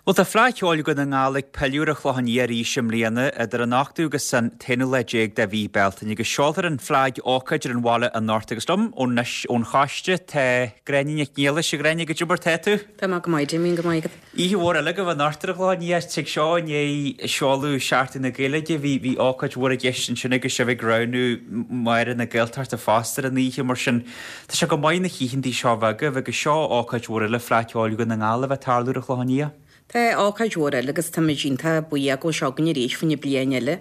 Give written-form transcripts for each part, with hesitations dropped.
Bhuel, tá Fleadh Cheoil Dhún na nGall ag pilleadh ar an Chlochán Liath arís i mbliana, idir an 8ú agus an t-aonú lá déag de mhí Bealtaine, agus seolfar an Fleadh ócáid ar an bhaile anocht. Agus liom anois ón choiste tá Gráinne Nic Niallais. A Ghráinne, goidé mar tá tú? Tá mé go maith, Damien, go maith agat. Oíche mhór eile agaibh anocht ar an Chlochán Liath. Tig seo i ndiaidh seoladh Seachtain na Gaeilge. Bhí bhí ócáid mhór i gceist ansin agus sibh ag roghnú Máire na Gaeltachta fosta ar an oíche, mar sin Tá sé go maith na hoícheantaí seo a bheith agaibh agus seo ócáid mhór eile Fleadh Cheoil Dhún na nGall a bheith ag tarlú ar an Chlochán Liath. Tá ócáid mhór eile agus táimid iontach buíoch go bhfuil sé againn arís fá choinne bliain eile.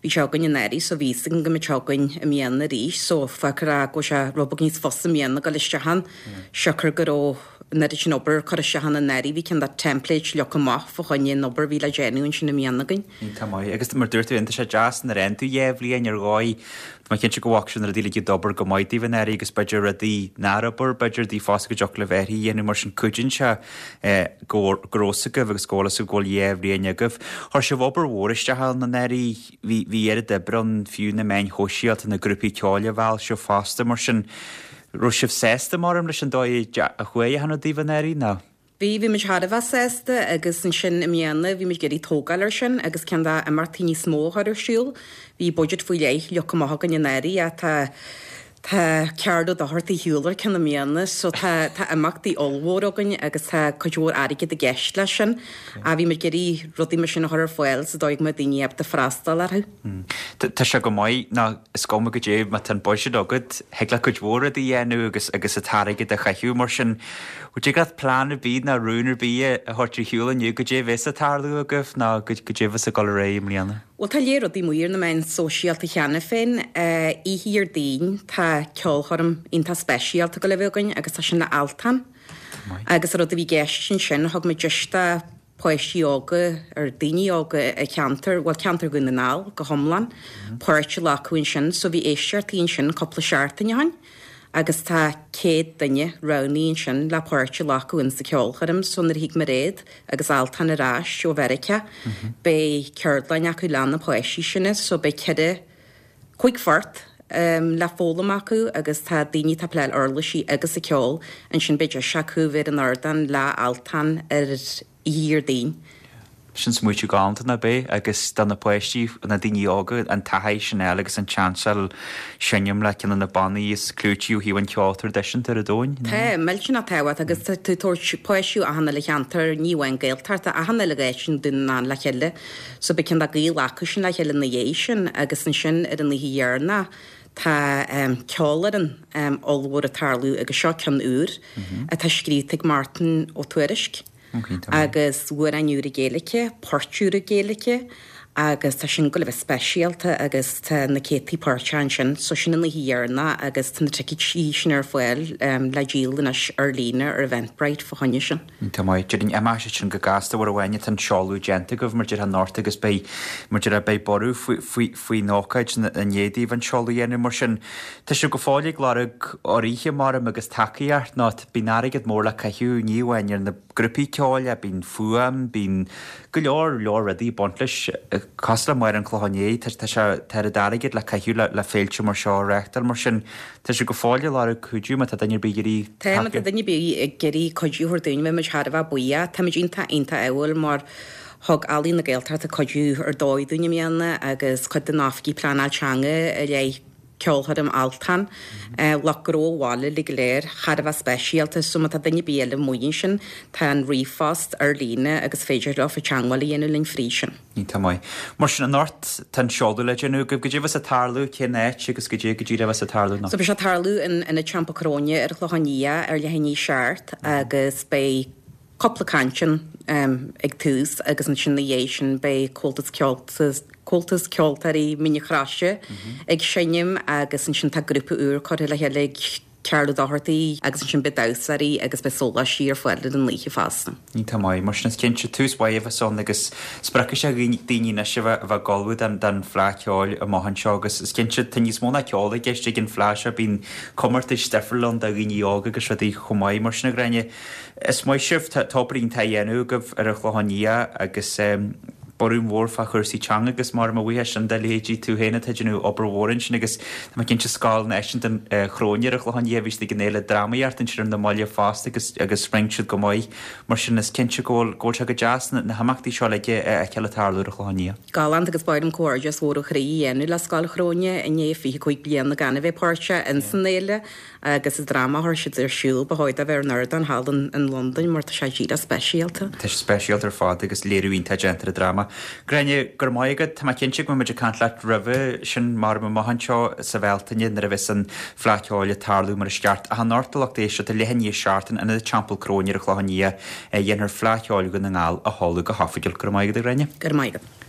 Bhí sé againn anuraidh so bhí fhios againn go mbeadh sé againn i mbliana arís so fágfar é go bhfuil sé rud beag níos fusa i mbliana dul isteach ann siocair go raibh an oiread sin obair curtha isteach ann anuraidh. Bhí cineál de template leagtha amach fá choinne an obair a bhí le déanamh ansin i mbliana againn. Iontach maith. Agus mar dúirt tú féin, tá sé deas nuair a fhaigheann tú dhá bhliain ar dhóigh. Tá mé cinnte go bhfaca sibh na rudaí uilig a d'obair go maith daoibh anuraidh agus b'fhéidir rudaí nár obair, b'fhéidir daoibh fosta go dtiocfadh libh athruithe a dhéanamh mar sin cuidíonn sé go go raibh fhios agaibh agus go bhfuil fhios agaibh go bhfuil dhá bhliain agaibh. Chuir sibh obair mhór isteach ann anuraidh, bhí bhí oiread oibre ann fiú na meáin shóisialta, na grúpaí ceoil a mheall sibh fosta mar sin raibh sibh sásta maram leis an dóigh a chuaigh achan rud daoibh anuraidh nó? Bhí, bhí muid thar a bheith sásta agus ansin i mbliana bhí muid ag iarraidh tógáil air sin agus ceann de imeachtaí níos mó a chur ar siúl. Bhí budget faoi leith leagtha amach againn anuraidh ach tá, tá Ceard Ó Dochartaigh ar shiúl ar ceann i mbliana so tá, tá imeachtaí ollmhór againn agus tá cuid mhór airgid i gceist leis sin ach bhí muid ag iarraidh rudaí mar sin a chur ar fáil sa dóigh go mbeadh daoine ábalta freastal orthu. Tá sé go maith nó is cuma goidé má tá an buiséad agat, thig leat cuid mhór rudaí a dhéanamh agus agus an t-airgead a chaitheamh mar sin. Dtig leat plean ar bith nó rún ar bith a thabhairt ar shiúl inniu goidé a bheas ag tarlú agaibh nó goidé a bheas ag dul ar aghaidh i mbliana? Bhuel tá lear rudaí amuigh ar na meáin sóisialta cheana féin. Oíche Dhéardaoin tá ceolchoirm iontach speisialta ag dul a bheith againn agus tá sin le Altan. Agus an rud a bhí i gceist ansin, thug muid deis do páistí óga ar daoine óga i cheantar, bhuel ceantar Dhún na nGall go hiomlán, páirt a ghlacadh ansin. So bhí éisteachtaí ansin cúpla seachtain ó shin agus tá 100 duine roghnaithe ansin le páirt a ghlacadh in sa ceolchoirm. So nuair a thig Mairéad agus Altan ar ais ó Mheiriceá beidh ceardlann acu le na páistí sin. So beidh ceithre, 5 phort le foghlaim acu agus tá daoine atá ag pléáil uirlisí agus ag ceol ansin beidh deis acu bheith ar an ardán le Altan ar oíche Dhéardaoin. Sin smaoitiú galánta nach ea agus do na páistí, na daoine óga, an taithí sin a fháil agus an tseans a fháil seinm le ceann de na bannaí is clúití ó thaobh an cheoil traidisiúnta ar an domhain. Tá, millteanach tábhachtach agus tá tú ag tabhairt páistí ó achan uile cheantar, ní amháin Gaeltachta, achan uile áit i nDún na nGall le chéile. So beidh cineál de gaol acu sin le chéile ina dhiaidh sin agus ansin ar an oíche dheireanach tá ceolfhoireann ollmhór ag tarlú agus seo ceann úr atá scríofa ag Martin Ó Tuairisg agus amhráin úra Gaeilge, poirt úra Gaeilge agus tá sin ag goil a bheith speisialta agus tá na céadtaí páirteach ansin so sin an oíche dheireanach agus tá na ticéidí sin ar fáil le díol anois ar líne ar Eventbrite fá choinne sin. Iontach maith. Déarfainn imeoidh sé sin go gasta uair amháin atá an seoladh déanta agaibh mar déarfá anocht agus beidh, mar déarfá, beidh borradh faoi, faoi, faoin ócáid i ndiaidh daoibh an seoladh a dhéanamh. Mar sin, tá sibh go fóill ag lorg urraithe maram agus tacaíocht nó bíonn airgead mór le caitheamh ní amháin ar na grúpaí ceoil ach bíonn fuaim, bíonn go leor, leor rudaí ag baint leis. Cosúil le Máire an Chlocháin Léith, tá, tá sé, tá oiread airgid le caitheamh le, le féilte mar seo a reáchtáil mar sin. Tá sibh go fóill ag lorg cuidiú má tá duine ar bith ag iarraidh Tá, má tá duine ar bith ag iarraidh cuidiú a thabhairt dúinn, bheadh muid thar a bheith buíoch. Táimid iontach, iontach ádhúil mar thug Ealaín na Gaeltachta cuidiú ar dóigh dúinn i mbliana agus cuid de na oifigigh pleanáil teanga i leith ceolchoirm Altan, lucht gnó an bhaile uilig go léir, thar a bheith speisialta. So má tá duine ar bith eile amuigh ansin, tá an ríomhphost ar líne agus féidir leofa teagmháil a dhéanamh linn fríd sin. Iontach maith. Mar sin, anocht, tá an seoladh le déanamh agaibh. Goidé a bheas ag tarlú, cén áit agus goidé go díreach a bheas ag tarlú anocht? So beidh sé ag tarlú in Ionad Teampall Cróine ar an Chlochán Liath ar leath i ndiaidh a 7 agus beidh cúpla caint ann ag tús agus ansin ina dhiaidh sin beidh Comhaltas Comhaltas Ceoltóirí Mín an Chroise ag seinm agus ansin tá grúpa úr curtha le chéile ag Cearl Ó Dochartaigh agus ansin beidh damhsóirí agus beidh sóláistí ar fáil ar an oíche fosta. Iontach maith. Mar sin is cinnte tús mhaith a bheas ann agus spreagfaidh sé daoine anois a bheith a bheith ag ullmhú don don Fhleadh Cheoil amach anseo agus is cinnte tá níos mó ná ceol i gceist ag an Fhleadh seo, bíonn comórtais difriúla ann do dhaoine óga agus rudaí chomh maith. Mar sin a Ghráinne, is maith sibh, tá obair iontach á dhéanamh agaibh ar an Chlochán Liath agus. Borradh mór fá chúrsaí teanga agus mar mo bhuíochas sin do leithéidí tú féin atá ag déanamh obair mhór ansin agus tá mé cinnte Scoil Náisiúnta Chróine ar an Chlochán Liath bhí siad ag an fhéile drámaíochta ansin ar na mallaibh fosta agus agus rinne siad go maith mar sin is cinnte go bhfuil go bhfuil sé go deas na na himeachtaí seo uilig a fheiceáil ag tarlú ar an Chlochán Liath. Galánta agus ba mhaith liom comhghairdeas mhór ó chroí a dhéanamh le Scoil Chróine i ndiaidh 25 bliana gan a bheith páirteach ins an fhéile. Agus an dráma a chuir siad ar siúl, ba chóir dó bheith ar an ardán thall in Londain mar tá sé díreach speisialta. Tá sé speisialta ar fad agus léiriú iontach déanta ar an dráma. Gráinne, go raibh maith agat. Tá mé cinnte go mbeidh muid ag caint leat roimhe sin mar amach anseo sa Bhealtaine nuair a bheas an Fleadh Cheoil ag tarlú mar is ceart. Ach anocht a lucht éisteachta, leath i ndiaidh 7 in Ionad Teampall Cróine ar an Chlochán Liath, dhéanfar Fleadh Cheoil Dhún na nGall a sheoladh go hoifigiúil. Go raibh maith agat a Ghráinne. Go raibh maith agat.